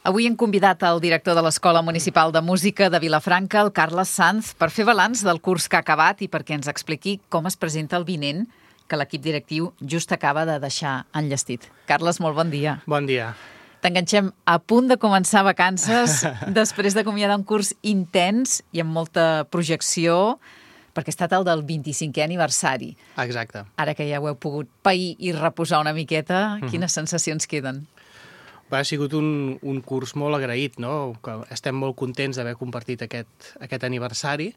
Avui hem convidat el director de l'Escola Municipal de Música de Vilafranca, el Carles Sanz, per fer balanç del curs que ha acabat i perquè ens expliqui com es presenta el vinent que l'equip directiu just acaba de deixar enllestit. Carles, molt bon dia. Bon dia. T'enganxem a punt de començar vacances després d'acomiadar un curs intens i amb molta projecció, perquè ha estat el del 25è aniversari. Exacte. Ara que ja ho heu pogut pair i reposar una miqueta, quines sensacions queden? Ha sigut un curs molt agraït, no? Estem molt contents d'haver compartit aquest aniversari,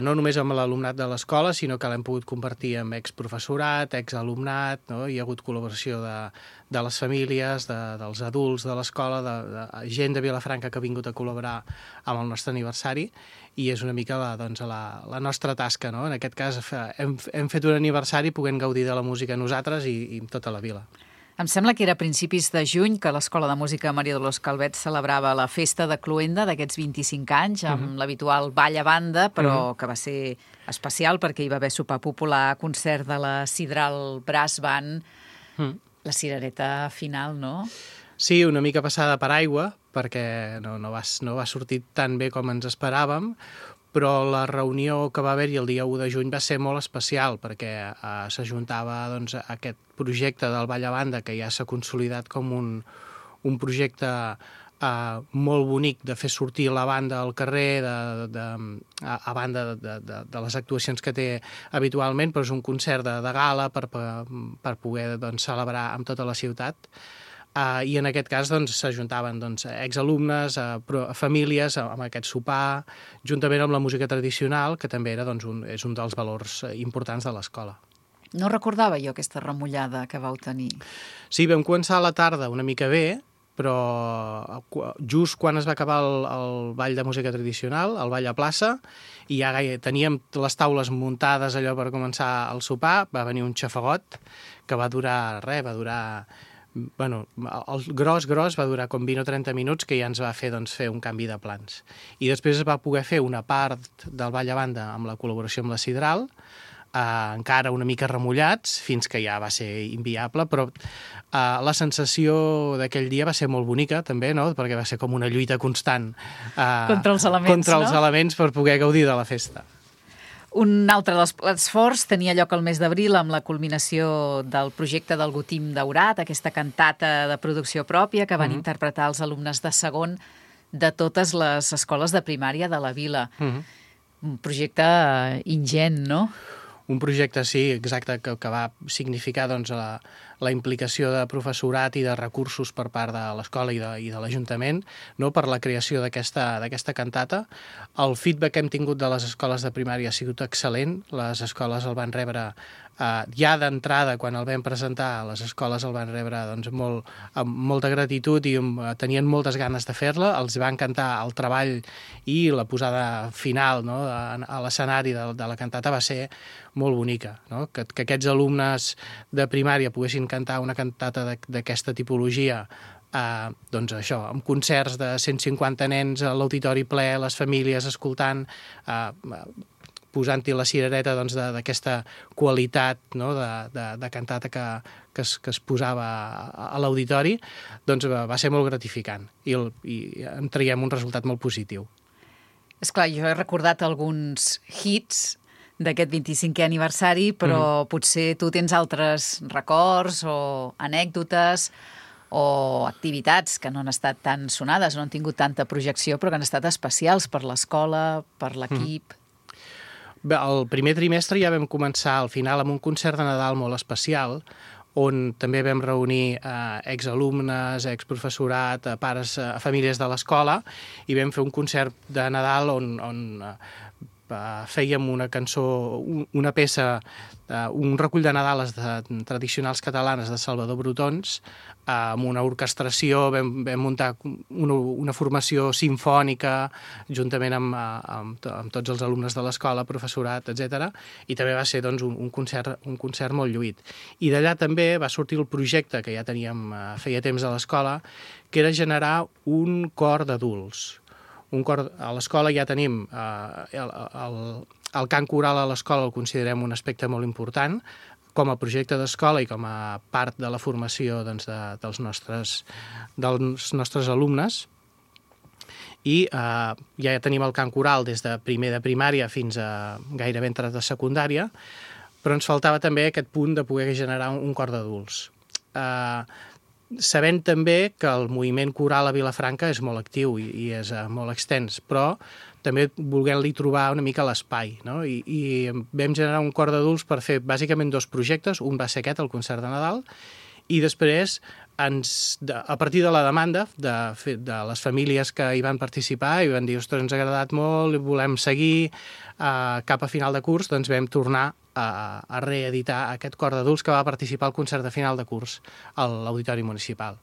no només amb l'alumnat de l'escola, sinó que l'hem pogut compartir amb exprofessorat, exalumnat, no? Hi ha hagut col·laboració de les famílies, dels adults de l'escola, de gent de Vilafranca que ha vingut a col·laborar amb el nostre aniversari, i és una mica la nostra tasca, no? En aquest cas hem fet un aniversari podent gaudir de la música nosaltres i tota la vila. Em sembla que era a principis de juny que l'Escola de Música Maria Dolors Calvet celebrava la festa de Cloenda d'aquests 25 anys amb l'habitual ball a banda, però que va ser especial perquè hi va haver sopar popular, concert de la Sidral Brass Band, la cirereta final, no? Sí, una mica passada per aigua, perquè no va sortir tan bé com ens esperàvem, però la reunió que va haver-hi el dia 1 de juny va ser molt especial perquè s'ajuntava aquest projecte del Ball a Banda, que ja s'ha consolidat com un projecte molt bonic de fer sortir la banda al carrer, a banda de les actuacions que té habitualment, però és un concert de gala per poder celebrar amb tota la ciutat. I en aquest cas s'ajuntaven exalumnes, famílies amb aquest sopar, juntament amb la música tradicional, que també és un dels valors importants de l'escola. No recordava jo aquesta remullada que vau tenir. Sí, vam començar a la tarda una mica bé, però just quan es va acabar el ball de música tradicional, el ball a plaça, i ja teníem les taules muntades allò per començar el sopar, va venir un xafagot que va durar el gros va durar com 20 o 30 minuts, que ja ens va fer un canvi de plans. I després es va poder fer una part del ball a banda amb la col·laboració amb la Sidral, encara una mica remullats, fins que ja va ser inviable, però la sensació d'aquell dia va ser molt bonica, també, no? Perquè va ser com una lluita constant contra els elements per poder gaudir de la festa. Un altre dels plats forts tenia lloc el mes d'abril amb la culminació del projecte del Gotim Daurat, aquesta cantata de producció pròpia que van interpretar els alumnes de segon de totes les escoles de primària de la vila. Un projecte ingent, no? Un projecte, sí, exacte, que va significar la implicació de professorat i de recursos per part de l'escola i de l'Ajuntament, no, per la creació d'aquesta cantata. El feedback que hem tingut de les escoles de primària ha sigut excel·lent. Les escoles el van rebre ja d'entrada, quan el vam presentar, les escoles el van rebre amb molta gratitud i tenien moltes ganes de fer-la. Els va encantar el treball i la posada final, no, a l'escenari de la cantata va ser molt bonica, no? Que aquests alumnes de primària poguessin cantar una cantata d'aquesta tipologia, això, amb concerts de 150 nens a l'auditori ple, les famílies escoltant, posant-hi la cirereta d'aquesta qualitat, no, de cantata que es posava a l'auditori, va ser molt gratificant i en traiem un resultat molt positiu. Esclar, jo he recordat alguns hits d'aquest 25è aniversari, però potser tu tens altres records o anècdotes o activitats que no han estat tan sonades, no han tingut tanta projecció, però que han estat especials per l'escola, per l'equip. El primer trimestre ja vam començar al final amb un concert de Nadal molt especial, on també vam reunir exalumnes, exprofessorat, pares, famílies de l'escola, i vam fer un concert de Nadal on fèiem una cançó, una peça, un recull de Nadales tradicionals catalanes de Salvador Brotons, amb una orquestració, vam muntar una formació simfònica juntament amb tots els alumnes de l'escola, professorat, etc. I també va ser un concert molt lluït. I d'allà també va sortir el projecte que ja teníem feia temps a l'escola, que era generar un cor d'adults. A l'escola ja tenim el cant coral a l'escola, el considerem un aspecte molt important, com a projecte d'escola i com a part de la formació doncs, dels nostres alumnes. I ja tenim el cant coral des de primer de primària fins a gairebé entrar de secundària, però ens faltava també aquest punt de poder generar un cor d'adults. Sabent també que el moviment coral a Vilafranca és molt actiu i és molt extens, però també volent-li trobar una mica l'espai, no? I vam generar un cor d'adults per fer bàsicament 2 projectes, un va ser aquest, el concert de Nadal, i després, a partir de la demanda de les famílies que hi van participar i van dir, ostres, ens ha agradat molt, volem seguir cap a final de curs, doncs vam tornar a reeditar aquest cor d'adults que va participar al concert de final de curs a l'Auditori Municipal.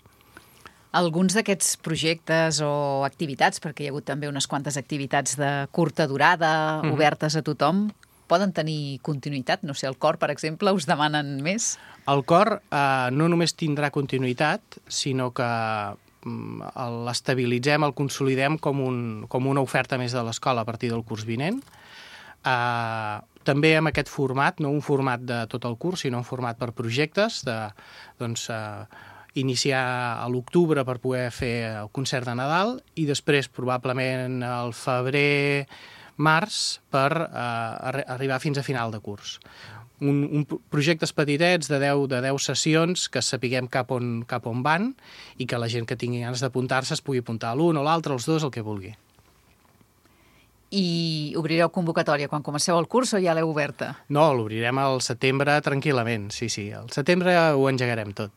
Alguns d'aquests projectes o activitats, perquè hi ha hagut també unes quantes activitats de curta durada, obertes a tothom, poden tenir continuïtat? No sé, el cor, per exemple, us demanen més? El cor no només tindrà continuïtat, sinó que l'estabilitzem, el consolidem com una oferta més de l'escola a partir del curs vinent. També amb aquest format, no un format de tot el curs, sinó un format per projectes, iniciar a l'octubre per poder fer el concert de Nadal i després probablement al febrer-març per arribar fins a final de curs. Projectes petitets de 10 sessions que sapiguem cap on van i que la gent que tingui ganes d'apuntar-se es pugui apuntar a l'un o l'altre, els dos, el que vulgui. I obrireu convocatòria quan comenceu el curs o ja l'heu oberta? No, l'obrirem al setembre tranquil·lament, sí. Al setembre ho engegarem tot.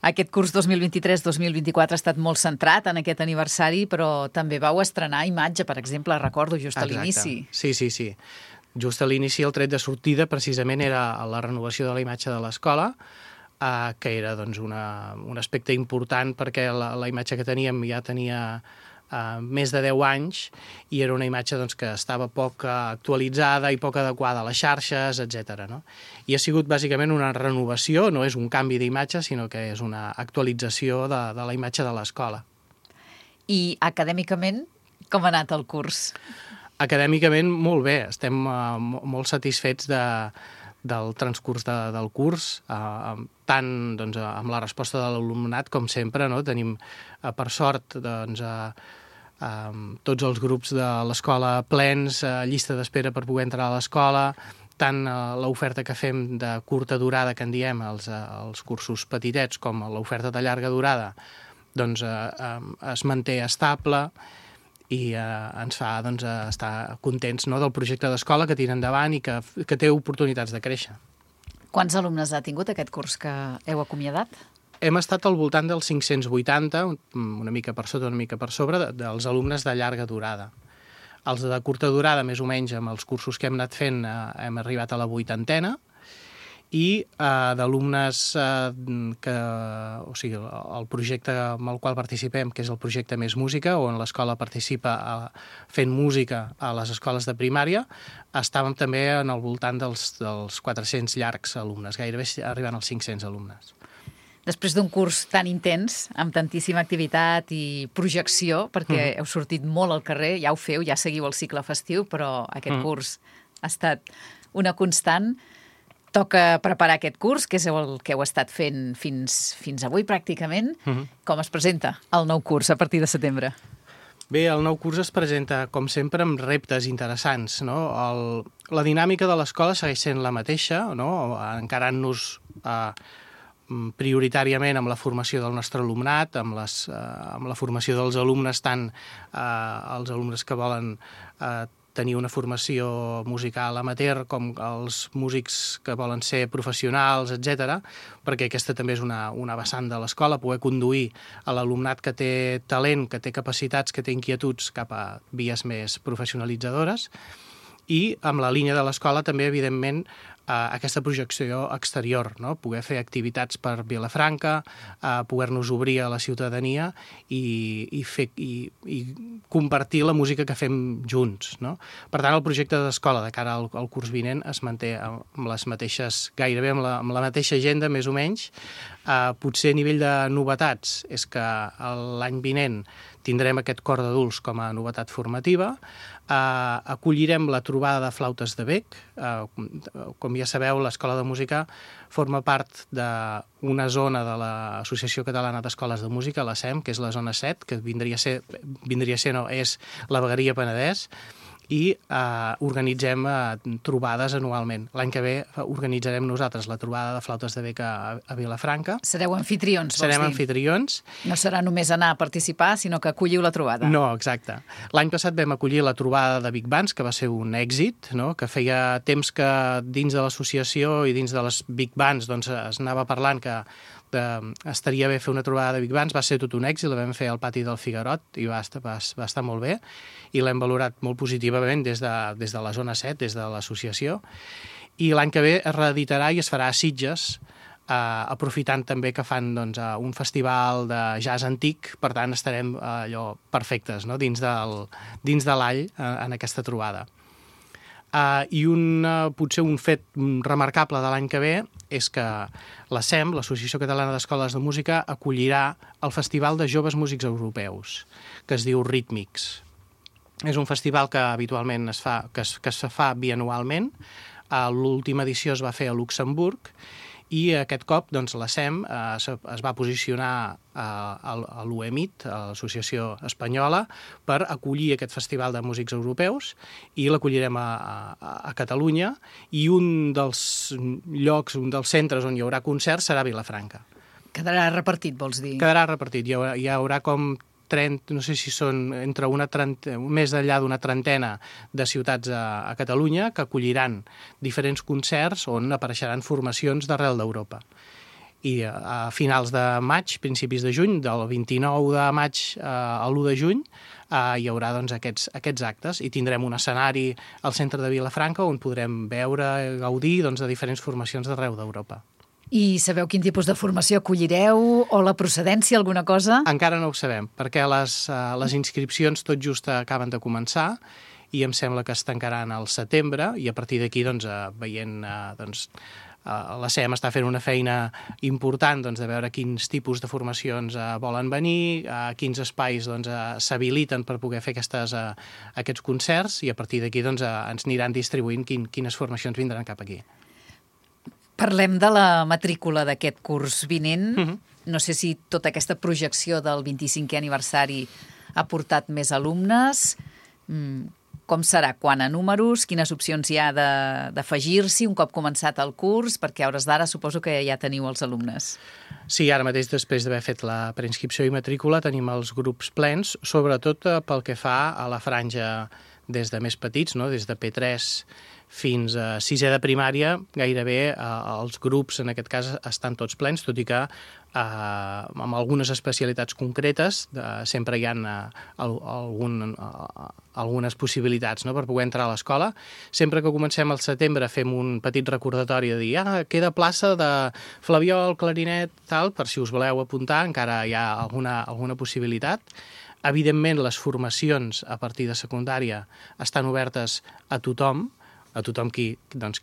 Aquest curs 2023-2024 ha estat molt centrat en aquest aniversari, però també vau estrenar imatge, per exemple, recordo, just a l'inici. Sí. Just a l'inici, el tret de sortida, precisament, era la renovació de la imatge de l'escola, que era doncs, un aspecte important perquè la imatge que teníem ja tenia més de 10 anys i era una imatge doncs, que estava poc actualitzada i poc adequada a les xarxes, etc. No? I ha sigut bàsicament una renovació, no és un canvi d'imatge, sinó que és una actualització de la imatge de l'escola. I acadèmicament, com ha anat el curs? Acadèmicament, molt bé. Estem molt satisfets del transcurs del curs, tant doncs, amb la resposta de l'alumnat com sempre. No? Tenim, per sort, doncs, tots els grups de l'escola plens, llista d'espera per poder entrar a l'escola, tant l'oferta que fem de curta durada, que en diem els cursos petitets, com l'oferta de llarga durada, doncs es manté estable i ens fa doncs, estar contents, no?, del projecte d'escola que tira endavant i que té oportunitats de créixer. Quants alumnes ha tingut aquest curs que heu acomiadat? Hem estat al voltant dels 580, una mica per sota, una mica per sobre, dels alumnes de llarga durada. Els de curta durada, més o menys, amb els cursos que hem anat fent, hem arribat a la 80ena, i d'alumnes o sigui, el projecte amb el qual participem, que és el projecte Més Música, on l'escola participa fent música a les escoles de primària, estàvem també en el voltant dels 400 llargs alumnes, gairebé arribant als 500 alumnes. Després d'un curs tan intens, amb tantíssima activitat i projecció, perquè heu sortit molt al carrer, ja ho feu, ja seguiu el cicle festiu, però aquest curs ha estat una constant. Toca preparar aquest curs, que és el que heu estat fent fins avui, pràcticament. Com es presenta el nou curs a partir de setembre? Bé, el nou curs es presenta, com sempre, amb reptes interessants. No? La dinàmica de l'escola segueix sent la mateixa, no? Encarant-nos prioritàriament amb la formació del nostre alumnat, amb la formació dels alumnes, tant els alumnes que volen tenir una formació musical amateur com els músics que volen ser professionals, etc., perquè aquesta també és una vessant de l'escola, poder conduir a l'alumnat que té talent, que té capacitats, que té inquietuds cap a vies més professionalitzadores. I amb la línia de l'escola també, evidentment, aquesta projecció exterior, no? Poder fer activitats per Vilafranca, poder-nos obrir a la ciutadania i compartir la música que fem junts. No? Per tant, el projecte d'escola de cara al curs vinent es manté amb les mateixes, gairebé amb la mateixa agenda, més o menys. Potser a nivell de novetats és que l'any vinent tindrem aquest cor d'adults com a novetat formativa, acollirem la trobada de flautes de bec, com ja sabeu, l'Escola de Música forma part d'una zona de l'Associació Catalana d'Escoles de Música, la SEM, que és la zona 7, que és la vegueria Penedès, i organitzem trobades anualment. L'any que ve organitzarem nosaltres la trobada de flautes de bec a Vilafranca. Sereu anfitrions, vols dir? Serem anfitrions. No serà només anar a participar, sinó que acolliu la trobada. No, exacte. L'any passat vam acollir la trobada de Big Bands, que va ser un èxit, no? Que feia temps que dins de l'associació i dins de les Big Bands doncs, es anava parlant que estaria bé fer una trobada de Big Bands, va ser tot un èxit, la vam fer al pati del Figuerot i va estar molt bé i l'hem valorat molt positivament des de la zona 7, des de l'associació, i l'any que ve es reeditarà i es farà a Sitges, aprofitant també que fan doncs, un festival de jazz antic, per tant estarem allò perfectes, no? dins de l'all en aquesta trobada. I potser un fet remarcable de l'any que ve és que la SEM, l'Associació Catalana d'Escoles de Música, acollirà el Festival de Joves Músics Europeus, que es diu Rítmics. És un festival que habitualment es fa bianualment. L'última edició es va fer a Luxemburg i aquest cop doncs, la SEM es va posicionar a l'UEMIT, a l'Associació Espanyola, per acollir aquest Festival de Músics Europeus i l'acollirem a Catalunya, i un dels llocs, un dels centres on hi haurà concerts serà Vilafranca. Quedarà repartit, vols dir? Quedarà repartit. Hi haurà com 30, no sé si són entre més enllà d'una trentena de ciutats a Catalunya que acolliran diferents concerts on apareixeran formacions d'arrel d'Europa. I a finals de maig, principis de juny, del 29 de maig a l'1 de juny, hi haurà doncs, aquests actes i tindrem un escenari al centre de Vilafranca on podrem veure, gaudir doncs, de diferents formacions d'arreu d'Europa. I sabeu quin tipus de formació acollireu o la procedència, alguna cosa? Encara no ho sabem, perquè les inscripcions tot just acaben de començar i em sembla que es tancaran al setembre i a partir d'aquí, doncs, veient... la SEM està fent una feina important doncs, de veure quins tipus de formacions volen venir, quins espais doncs, s'habiliten per poder fer aquests concerts i a partir d'aquí doncs, ens aniran distribuint quines formacions vindran cap aquí. Parlem de la matrícula d'aquest curs vinent. No sé si tota aquesta projecció del 25è aniversari ha portat més alumnes. Com serà? Quant a números? Quines opcions hi ha d'afegir-s'hi un cop començat el curs? Perquè a hores d'ara suposo que ja teniu els alumnes. Sí, ara mateix, després d'haver fet la preinscripció i matrícula, tenim els grups plens, sobretot pel que fa a la franja des de més petits, no? Des de P3 fins a 6è de primària, gairebé els grups, en aquest cas, estan tots plens, tot i que amb algunes especialitats concretes sempre hi ha algunes possibilitats, no?, per poder entrar a l'escola. Sempre que comencem al setembre fem un petit recordatori de dir queda plaça de flabiol, clarinet, tal, per si us voleu apuntar, encara hi ha alguna possibilitat. Evidentment, les formacions a partir de secundària estan obertes a tothom qui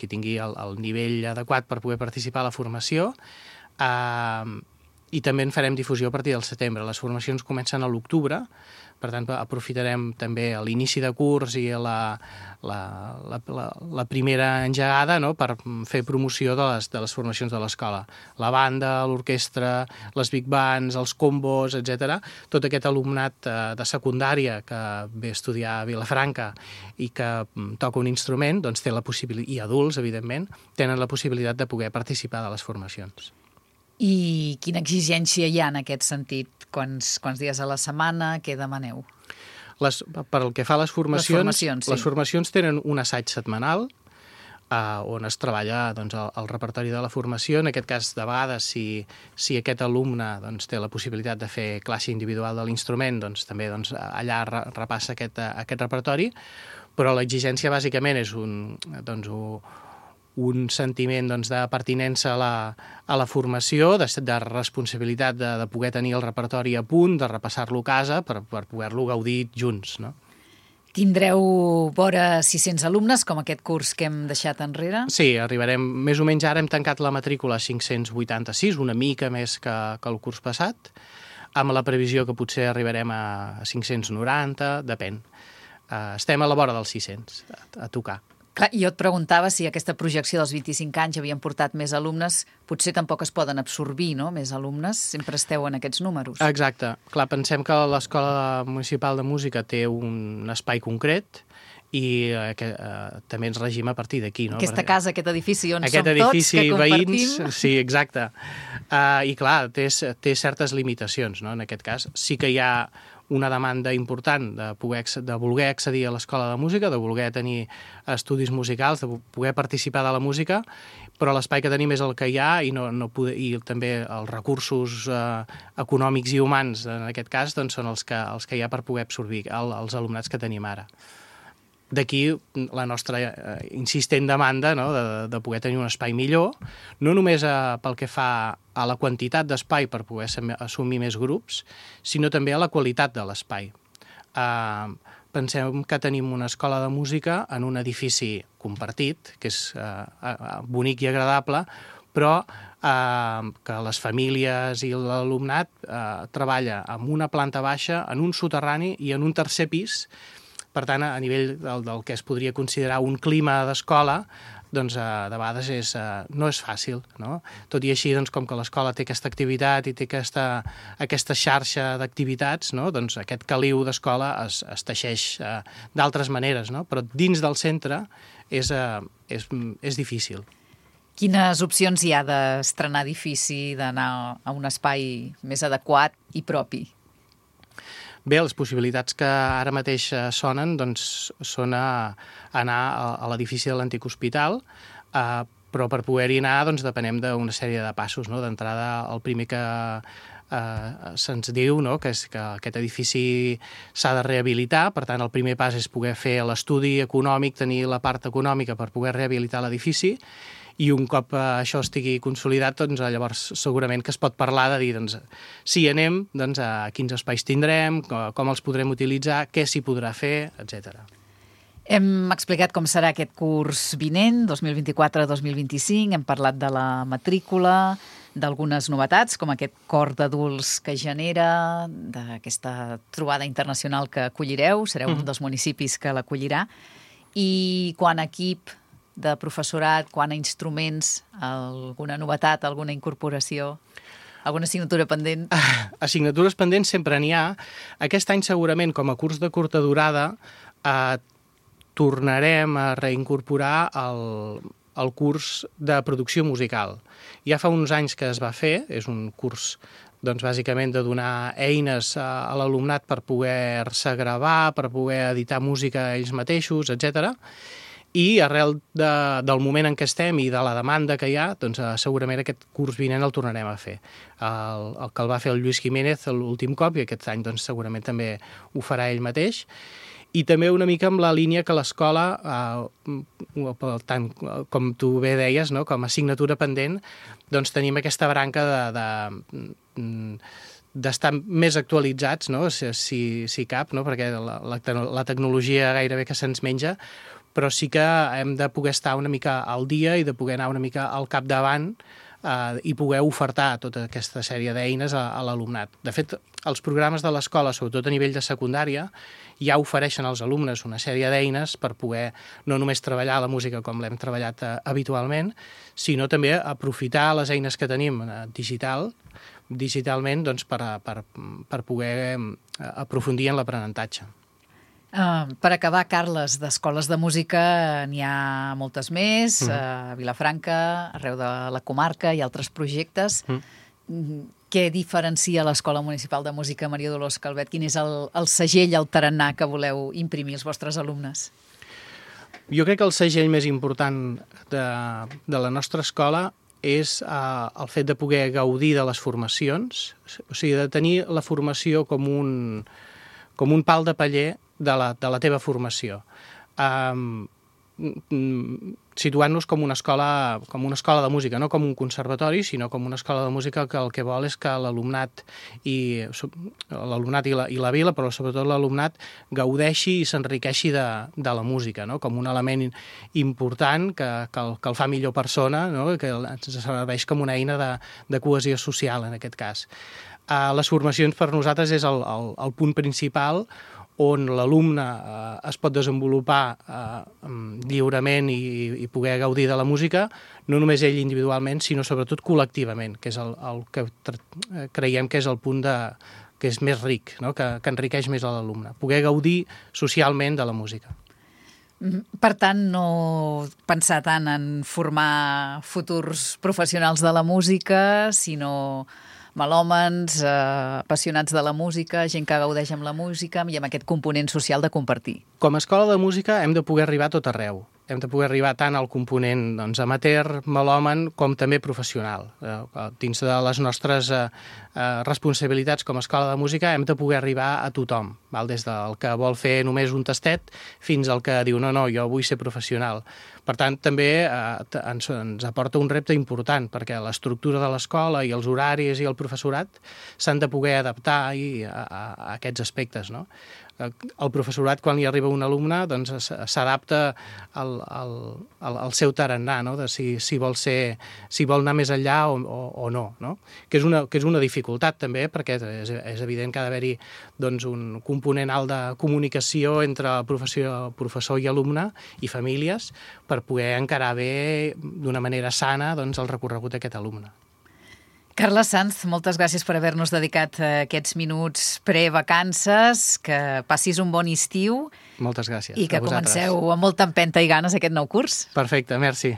tingui el nivell adequat per poder participar a la formació, i també en farem difusió a partir del setembre. Les formacions comencen a l'octubre, per tant aprofitarem també l'inici de curs i la primera engegada, no?, per fer promoció de les formacions de l'escola. La banda, l'orquestra, les big bands, els combos, etc. Tot aquest alumnat de secundària que ve a estudiar a Vilafranca i que toca un instrument, doncs té la possibilitat, i adults, evidentment, tenen la possibilitat de poder participar de les formacions. I quina exigència hi ha en aquest sentit? Quants dies a la setmana? Què demaneu? Per el que fa a les formacions, sí. Les formacions tenen un assaig setmanal on es treballa doncs, el repertori de la formació. En aquest cas, de vegades, si aquest alumne doncs, té la possibilitat de fer classe individual de l'instrument, doncs, també allà repassa aquest repertori, però l'exigència bàsicament és un sentiment doncs, de pertinença a la formació, de responsabilitat de poder tenir el repertori a punt, de repassar-lo a casa per poder-lo gaudir junts, no? Tindreu vora 600 alumnes, com aquest curs que hem deixat enrere? Sí, arribarem, més o menys ara hem tancat la matrícula a 586, una mica més que el curs passat, amb la previsió que potser arribarem a 590, depèn. Estem a la vora dels 600, a tocar. Clar, jo et preguntava si aquesta projecció dels 25 anys havien portat més alumnes, potser tampoc es poden absorbir, no?, més alumnes, sempre esteu en aquests números. Exacte. Clar, pensem que l'Escola Municipal de Música té un espai concret i també ens regim a partir d'aquí, no? Aquesta casa, aquest edifici on som edifici, tots, que compartim. veïns, sí, exacte. I clar, té certes limitacions, no? En aquest cas sí que hi ha una demanda important de voler accedir a l'escola de música, de voler tenir estudis musicals, de poder participar de la música, però l'espai que tenim és el que hi ha i també els recursos econòmics i humans, en aquest cas, doncs, són els que hi ha per poder absorbir els alumnats que tenim ara. D'aquí la nostra insistent demanda, no?, de poder tenir un espai millor, no només pel que fa a la quantitat d'espai per poder assumir més grups, sinó també a la qualitat de l'espai. Pensem que tenim una escola de música en un edifici compartit, que és bonic i agradable, però que les famílies i l'alumnat treballa en una planta baixa, en un soterrani i en un tercer pis. Per tant, a nivell del que es podria considerar un clima d'escola, doncs de vegades no és fàcil, no? Tot i així, doncs, com que l'escola té aquesta activitat i té aquesta xarxa d'activitats, no?, doncs aquest caliu d'escola es teixeix d'altres maneres, no? Però dins del centre és difícil. Quines opcions hi ha d'estrenar edifici, d'anar a un espai més adequat i propi? Bé, les possibilitats que ara mateix sonen doncs, són anar a l'edifici de l'antic hospital, però per poder-hi anar doncs, depenem d'una sèrie de passos, no? D'entrada, el primer que se'ns diu, no?, que és que aquest edifici s'ha de rehabilitar. Per tant, el primer pas és poder fer l'estudi econòmic, tenir la part econòmica per poder rehabilitar l'edifici, i un cop això estigui consolidat, doncs, llavors segurament que es pot parlar de dir, doncs, si hi anem, doncs, a quins espais tindrem, com els podrem utilitzar, què s'hi podrà fer, etc. Hem explicat com serà aquest curs vinent, 2024-2025, hem parlat de la matrícula, d'algunes novetats, com aquest cor d'adults que genera, d'aquesta trobada internacional que acollireu, sereu un dels municipis que l'acollirà, i quant a equip de professorat, quant a instruments, alguna novetat, alguna incorporació, alguna assignatura pendent? Assignatures pendents sempre n'hi ha. Aquest any segurament, com a curs de curta durada, tornarem a reincorporar el curs de producció musical. Ja fa uns anys que es va fer, és un curs doncs, bàsicament de donar eines a l'alumnat per poder-se gravar, per poder editar música ells mateixos, etc. I arrel del moment en què estem i de la demanda que hi ha, doncs segurament aquest curs vinent el tornarem a fer. El que el va fer el Lluís Jiménez l'últim cop, i aquest any doncs, segurament també ho farà ell mateix. I també una mica amb la línia que l'escola, tant com tu bé deies, no?, com a assignatura pendent, doncs tenim aquesta branca d'estar més actualitzats, no?, si cap, no?, perquè la tecnologia gairebé que se'ns menja, però sí que hem de poder estar una mica al dia i de poder anar una mica al capdavant i poder ofertar tota aquesta sèrie d'eines a l'alumnat. De fet, els programes de l'escola, sobretot a nivell de secundària, ja ofereixen als alumnes una sèrie d'eines per poder no només treballar la música com l'hem treballat habitualment, sinó també aprofitar les eines que tenim digitalment doncs, per poder aprofundir en l'aprenentatge. Per acabar, Carles, d'escoles de música n'hi ha moltes més, a Vilafranca, arreu de la comarca, hi ha altres projectes. Què diferencia l'Escola Municipal de Música Maria Dolors Calvet? Quin és el segell, el tarannà que voleu imprimir als vostres alumnes? Jo crec que el segell més important de la nostra escola és el fet de poder gaudir de les formacions, o sigui, de tenir la formació com un pal de paller de la teva formació. Situant-nos com una escola de música, no com un conservatori, sinó com una escola de música que el que vol és que l'alumnat i la vila, però sobretot l'alumnat, gaudeixi i s'enriqueixi de la música, no? Com un element important que el fa millor persona, no? Que ens serveix com una eina de cohesió social, en aquest cas. Les formacions per nosaltres és el punt principal on l'alumne es pot desenvolupar lliurement i poder gaudir de la música, no només ell individualment, sinó sobretot col·lectivament, que és el que creiem que és el punt que és més ric, no? que enriqueix més a l'alumne, poder gaudir socialment de la música. Per tant, no pensar tant en formar futurs professionals de la música, sinó melòmans, apassionats de la música, gent que gaudeix amb la música i amb aquest component social de compartir. Com a escola de música hem de poder arribar a tot arreu. Hem de poder arribar tant al component amateur, melòman, com també professional. Dins de les nostres responsabilitats com a escola de música hem de poder arribar a tothom, des del que vol fer només un tastet fins al que diu no, jo vull ser professional. Per tant, també ens aporta un repte important, perquè l'estructura de l'escola i els horaris i el professorat s'han de poder adaptar a aquests aspectes, no? El professorat, quan li arriba un alumne, doncs s'adapta al seu tarannà, no? De si vol anar més enllà o no, no? Que és una dificultat també, perquè és evident que ha d'haver-hi doncs, un component alt de comunicació entre professor i alumne i famílies per poder encarar bé d'una manera sana doncs, el recorregut d'aquest alumne. Carles Sanz, moltes gràcies per haver-nos dedicat aquests minuts pre-vacances, que passis un bon estiu. Moltes gràcies. I que comenceu amb molta empenta i ganes aquest nou curs. Perfecte, merci.